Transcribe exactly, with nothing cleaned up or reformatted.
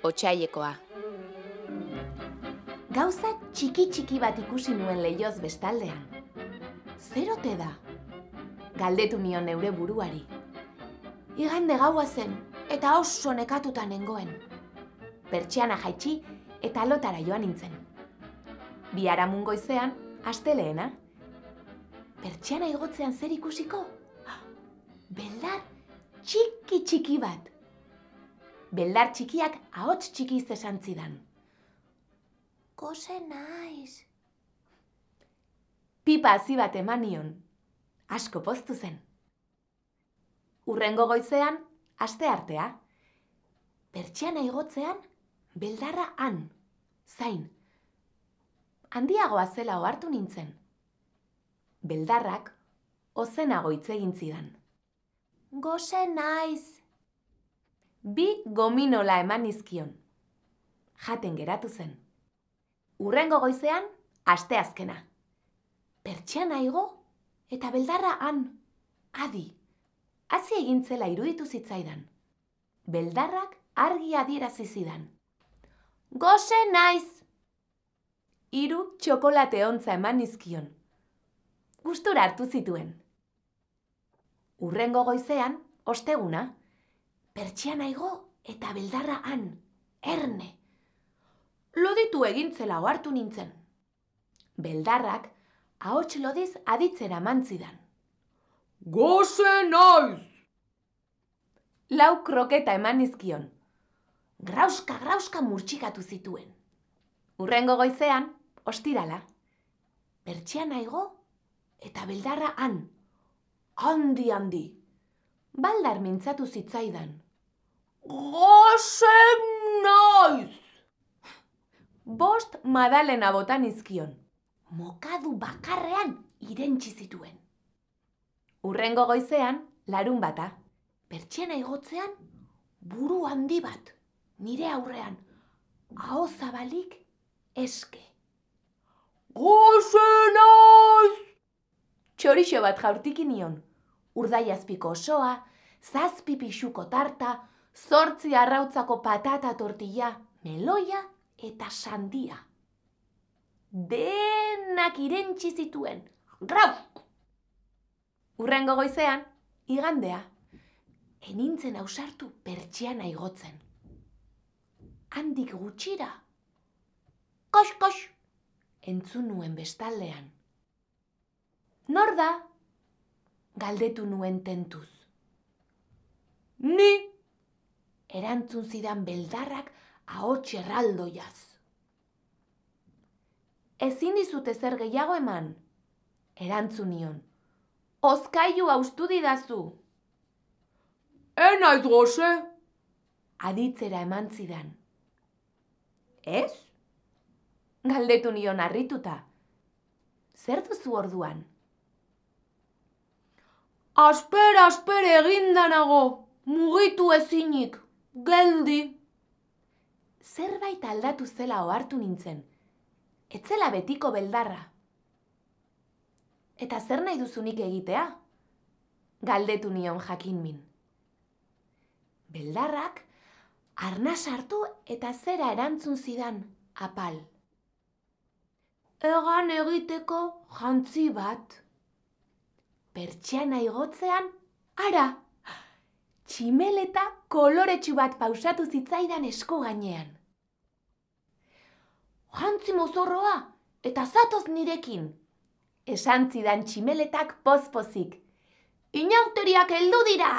otsailekoa. Gauza txiki-txiki bat ikusi nuen leioz bestaldean. Zer ote da? Galdetu nion neure buruari. Igande gaua zen, eta oso nekatuta nengoen. Pertsiana jaitsi eta lotara joan nintzen. Biharamun goizean, astelehena. Pertsiana igotzean zer ikusiko? Beldar txiki-txiki bat. Beldar txikiak ahots txikiz esan zidan. Gose naiz. Pipa hazi bat eman nion. Asko poztu zen. Hurrengo goizean, asteartea. Pertsiana igotzean, beldarra han, zain. Handiagoa zela ohartu nintzen. Beldarrak ozenago hitz egin zidan. Gose naiz. Bi gominola eman nizkion. Jaten geratu zen. Hurrengo goizean, asteazkena. Pertsiana igo eta beldarra han, adi. Hazi egin zela iruditu zitzaidan. Beldarrak argi adierazi zidan. Gose naiz. Hiru txokolate ontza eman nizkion. Gustura hartu zituen. Hurrengo goizean, osteguna. Pertsiana igo eta beldarra han, erne. Loditu egintzela ohartu nintzen. Beldarrak ahots lodiz aditzera mantzidan. Gose naiz! Lau kroketa eman nizkion. Grauska, grauska murtxikatu zituen. Hurrengo goizean, ostirala. Pertsiana igo eta beldarra han. Handi, handi. Baldar mintzatu zitzaidan. Gose naiz! Bost madalena bota nizkion. Mokadu bakarrean irentsi zituen. Hurrengo goizean, larun bata. Pertsiana igotzean, buru handi bat. Nire aurrean, aho zabalik eske. Gose naiz! Txorixo bat jaurtiki nion. Urdaiazpiko osoa, zazpi pixuko tarta, zortzi arrautzako patata tortilla, meloia eta sandia. Denak irentsi zituen. Grau! Hurrengo goizean, igandea. Enintzen ausartu pertsiana igotzen. Handik gutxira. Kox, kox! Entzun nuen bestaldean. Nor da? Galdetu nuen tentuz. Ni! Erantzun zidan beldarrak ahots erraldoiaz. Ezin dizut ezer gehiago eman, erantzun nion. Hozkailu haustu didazu. Enaiz gose, aditzera eman zidan. Ez? Galdetu nion harrituta. Zer duzu orduan? Asper, asper egindanago, mugitu ezinik, geldi. Zerbait aldatu zela ohartu nintzen. Etzela betiko beldarra. Eta zer nahi duzunik egitea? Galdetu nion jakinmin. Beldarrak arnas hartu eta zera erantzun zidan apal. Egan egiteko jantzi bat. Pertsiana igotzean, ara! Tximeleta koloretsu bat pausatu zitzaidan esku gainean. Jantzi mozorroa eta zatoz nirekin. Esan zidan tximeletak pozpozik. Inauteriak heldu dira!